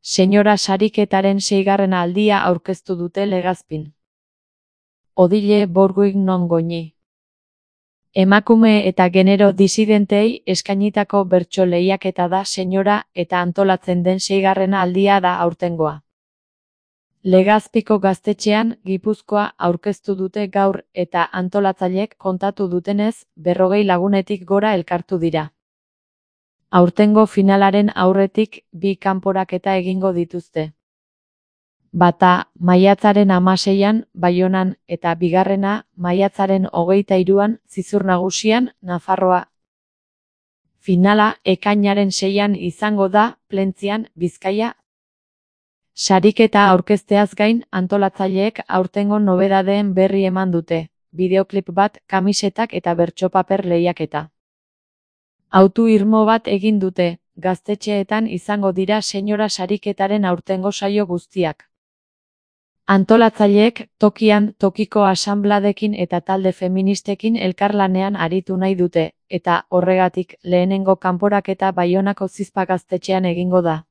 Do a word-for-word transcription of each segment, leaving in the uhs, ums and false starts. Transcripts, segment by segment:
Senyora sariketaren seigarren aldia aurkeztu dute Legazpin. Odile Borguig non goñi. Emakume eta genero disidentei eskainitako bertso lehiaketa da senyora eta antolatzen den seigarrena aldia da aurtengoa. Legazpiko gaztetxean Gipuzkoa aurkeztu dute gaur eta antolatzaileek kontatu dutenez, berrogei lagunetik gora elkartu dira. Aurtengo finalaren aurretik bi kanporaketa egingo dituzte. Bata, maiatzaren hamaseian Baionan eta bigarrena, maiatzaren hogeita hiruan Zizur Nagusian, Nafarroa. Finala ekainaren seian izango da, Plentzian, Bizkaia. Sariketa aurkezteaz gain, antolatzaileek aurtengo nobedadeen berri eman dute, bideoklip bat, kamisetak eta bertsopaper lehiaketa. Autu irmo bat egin dute, gaztetxeetan izango dira senyora sariketaren aurtengo saio guztiak. Antolatzaileek tokian tokiko asanbladekin eta talde feministekin elkarlanean aritu nahi dute, eta horregatik lehenengo kanporaketa Baionako Zizpa gaztetxean egingo da.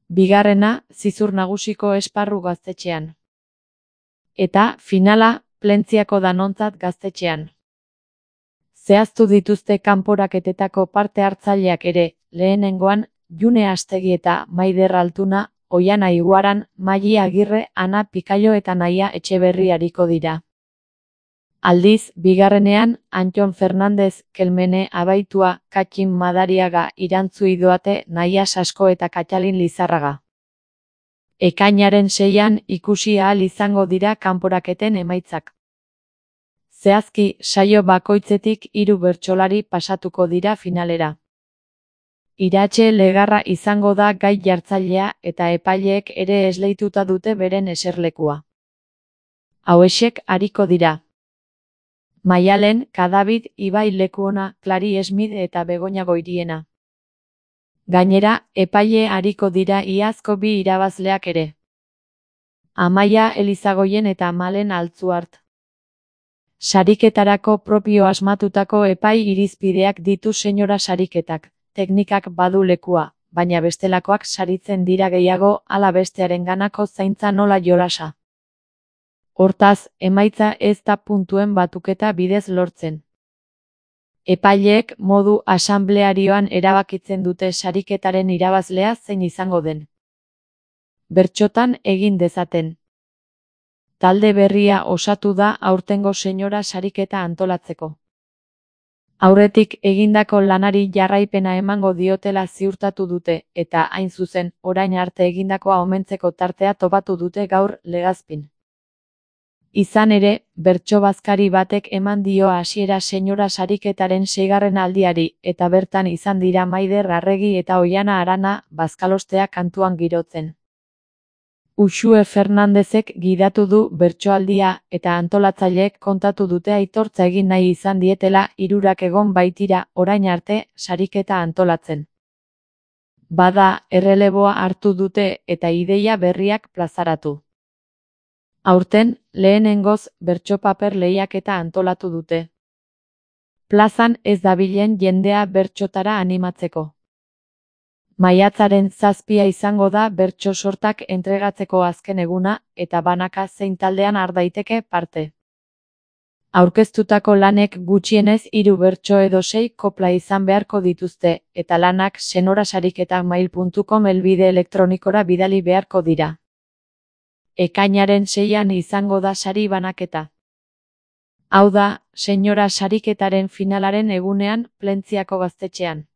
Bigarrena, Zizur Nagusiko esparru gaztetxean. Eta, finala, Plentziako Danontzat gaztetxean. Zehaztu dituzte kanporaketetako parte hartzaileak ere, lehenengoan, June Astegi eta Maider Altuna, Oiana Iguaran, Maili Agirre, Ana Pikailo eta Naia Etxeberri ariko dira. Aldiz, bigarrenean, Antton Fernandez, Kelmene Abaitua, Katxin Madariaga, Irantzu Idoate, Naia Sasko eta Katxalin Lizarraga. Ekainaren seian ikusi ahal izango dira kanporaketen emaitzak. Zehazki, saio bakoitzetik hiru bertsolari pasatuko dira finalera. Iratxe Legarra izango da gai jartzailea eta epaileek ere esleituta dute beren eserlekua. Hauexek ariko dira. Maialen, Kadabid, Ibai Lekuona, Klari Smith eta Begoña Goiriena. Gainera, epaile ariko dira iazko bi irabazleak ere. Amaia Elizagoien eta Malen Altzuart. Sariketarako propio asmatutako epai irizpideak ditu senyora sariketak. Teknikak badu lekua, baina bestelakoak saritzen dira gehiago ala bestearenganako zaintza nola jolasa. Hortaz, emaitza ez da puntuen batuketa bidez lortzen. Epaileek modu asanblearioan erabakitzen dute sariketaren irabazlea zein izango den. Bertsotan egin dezaten. Talde berria osatu da aurtengo senyora sariketa antolatzeko. Aurretik egindako lanari jarraipena emango diotela ziurtatu dute, eta hain zuzen, orain arte egindakoa omentzeko tartea topatu dute gaur Legazpin. Izan ere, bertso bazkari batek eman dio hasiera senyora sariketaren seigarren aldiari, eta bertan izan dira Maider Arregi eta Oiana Arana bazkalostea kantuan girotzen. Uxue Fernandezek gidatu du bertsoaldia eta antolatzaileek kontatu dute aitortza egin nahi izan dietela hirurak egon baitira orain arte sariketa antolatzen. Bada, erreleboa hartu dute eta ideia berriak plazaratu. Aurten, lehenengoz bertsopaper lehiaketa antolatu dute. Plazan ez dabilen jendea bertsotara animatzeko. Maiatzaren zazpia izango da bertso sortak entregatzeko azken eguna eta banaka zein taldean har daiteke parte. Aurkeztutako lanek gutxienez hiru bertso edo sei kopla izan beharko dituzte eta lanak senorasariketak mail puntu com helbide elektronikora bidali beharko dira. Ekainaren seian izango da sari banaketa. Hau da, senyora sariketaren finalaren egunean Plentziako gaztetxean.